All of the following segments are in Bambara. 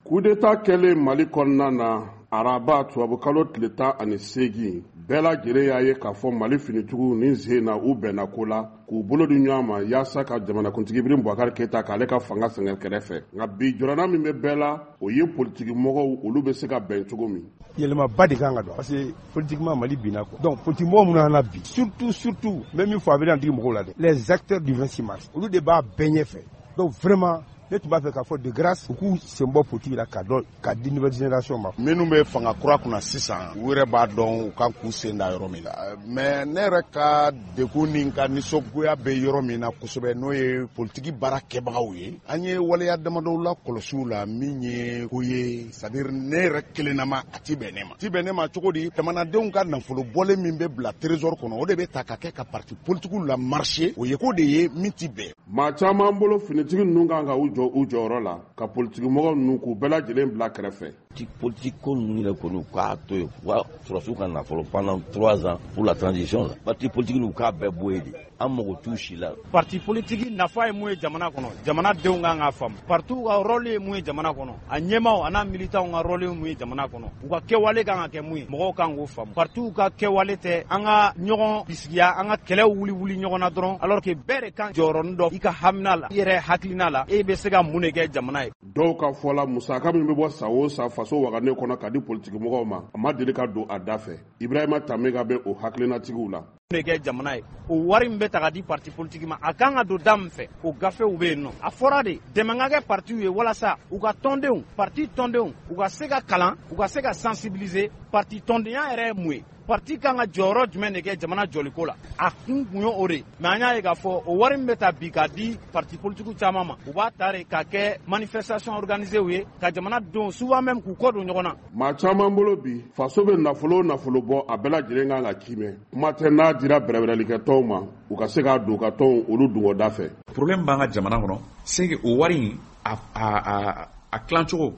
Coup d'État kɛlen Mali kɔnɔna na araba tubabukalo tile 18, bɛɛ lajɛlen y'a ye k'a fɔ Mali finitigiw ni sen na u bɛnna ko la k'u bolo di ɲɔgɔn ma yaasa ka jamanakuntigi Ibrahim Boubacar Keita k'ale ka fanga sɛgɛn kɛrɛfɛ. Nka bi jɔrɔna min bɛ bɛɛ la, o ye politiki mɔgɔw olu bɛ se ka bɛn cogo min. Yɛlɛmaba de kan ka don parce que politiquement Mali binna quoi. Donc politique mɔgɔ minnu nana bi, surtout surtout n bɛ min fɔ a bɛ digi mɔgɔw la dɛ, les acteurs du 26 mars, olu de b'a bɛɛ ɲɛfɛ. Donc vraiment ne tun b'a fɛ k'a fɔ de grâce u k'u sen bɔ politique la ka dɔn ka di nouvelle génération ma. Minnu bɛ fanga kura kunna sisan, u yɛrɛ b'a dɔn u kan k'u sen da yɔrɔ min na. Mais ne yɛrɛ ka degun ni n ka nisɔngoya bɛ yɔrɔ min na kosɛbɛ, n'o ye politiki baara kɛbagaw ye, an ye waleya damadɔw la kɔlɔsiw la min ye ko ye, c'est à dire ne yɛrɛ kelennama a ti bɛn ne ma. Ti bɛn ne ma cogo di? Jamanadenw ka nafolo bɔlen min bɛ bila trésor kɔnɔ, o de bɛ ta ka kɛ ka parti politikiw la marché. O ye ko de ye min ti bɛn. Maa caman bolo, finitigi ninnu kan ka u jɔ u jɔyɔrɔ la ka politikimɔgɔ ninnu k'u bɛɛ lajɛlen bila kɛrɛfɛ. Parti politique ko ninnu yɛrɛ kɔni, u k'a to yen, u ka sɔrɔsiw ka nafolo pendant 3 ans pour la transition la. Parti politique u k'a bɛɛ bɔ yen de, an mago t'u si la. Parti politique nafa ye mun ye jamana kɔnɔ, jamana denw kan k'a faamu. Partiw ka rôle ye mun ye jamana kɔnɔ, a ɲɛmaw a n'a militants ka rôle ye mun ye jamana kɔnɔ, u ka kɛwale kan ka kɛ mun ye, mɔgɔw kan k'o faamu. Partiw ka kɛwale tɛ an ka ɲɔgɔn bisigiya, an ka kɛlɛw wuli wuli ɲɔgɔn na dɔrɔn, alors que bɛɛ de kan jɔyɔrɔnin dɔ i ka hamina la, i yɛrɛ hakilina la, e bɛ se ka mun de kɛ jamana ye. Dɔw ka fɔ la, musaka min bɛ bɔ san o san faso wagane kɔnɔ ka di politikimɔgɔw ma, a ma deli ka don a da fɛ. Ibrahima Tamega bɛ o hakilinatigiw la. De kɛ jamana ye, o wari min bɛ ta ka di parti politique ma, a kan ka don da min fɛ, o gafew bɛ yen nɔ. A fɔra de dɛmɛ ka kɛ partiw ye walasa u ka tɔndenw, parti tɔndenw, u ka se ka kalan, u ka se ka sensibiliser. Parti tɔndenya yɛrɛ ye mun ye? Parti kan ka jɔyɔrɔ jumɛn de kɛ jamana jɔliko la? A kun kun ye o de. Mais an y'a ye k'a fɔ o wari min bɛ ta bi k'a di parti politique caman ma, u b'a ta de k'a kɛ manifestation organisée ye ka jamana don, souvent même k'u kɔ don ɲɔgɔn na. Maa caman bolo bi, faso bɛ nafolo o nafolo bɔ, a bɛɛ lajɛlen kan ka kimɛ. Kuma tɛ n'a dira bɛrɛbɛrɛlikɛ tɔnw ma, u ka se k'a don u ka tɔnw olu dungɔda fɛ. Problème b'an ka jamana kɔnɔ, c'est que o wari in a tilancogo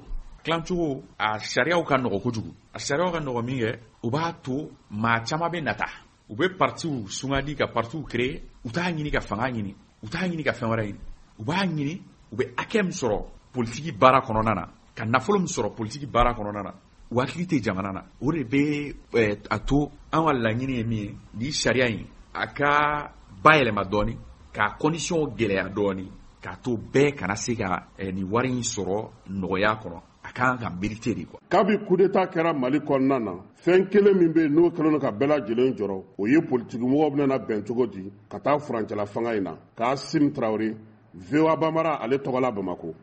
a sariyaw ka nɔgɔ kojugu. A sariyaw ka nɔgɔ min kɛ, o b'a to maa caman bɛ nata, u bɛ partiw sungadi ka partiw créer. U t'a ɲini ka fanga ɲini, u t'a ɲini ka fɛn wɛrɛ ɲini, u b'a ɲini u bɛ hakɛ min sɔrɔ politiki baara kɔnɔna na, ka nafolo min sɔrɔ politiki baara kɔnɔna na. U hakili tɛ jamana na. O de bɛ a to an ka laɲini ye min ye, ni sariya in a ka bayɛlɛma dɔɔni, k'a condition gɛlɛya dɔɔni, k'a to bɛɛ kana se ka nin wari in sɔrɔ nɔgɔya kɔnɔ. A kan ka mériter de quoi. Kabi coup d'État kɛra Mali kɔnɔna na, fɛn kelen min bɛ yen n'o kɛlen don ka bɛɛ lajɛlen jɔrɔ, o ye politikimɔgɔw bɛna bɛn cogo di ka taa furancɛla fanga in na. K'Asim Tarawele, VOA Bambara, ale tɔgɔla Bamako.